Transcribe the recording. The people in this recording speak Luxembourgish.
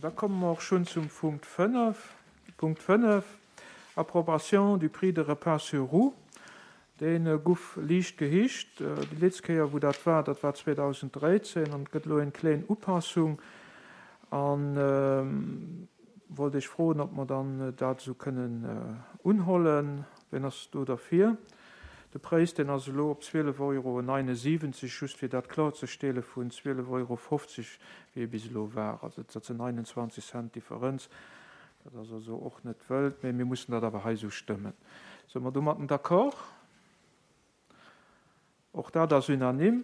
Da komme mer och schonn zum Punkt 5. Punkt 5, Approbation du prix de repas sur roues. Dee guff liicht gehicht. Déi letzt Kéier wou dat war, dat war 2013 an et gëtt elo eng kléin Upassung. An wollt Iech froen, ob mer dann dat esou kënnen unhollen. Wien ass do derfir? De Präis, deen ass elo op 12 Euro 79, just fir dat klorzestelle, vun 12 Euro 50, wéi e bis elo war. Also dat sinn 29 Cent Differenz. Dat ass also och net wëld, mä mir mussen dat awer hei esou stëmmen. Si mer domatten d'accord? Och dat ass unanime.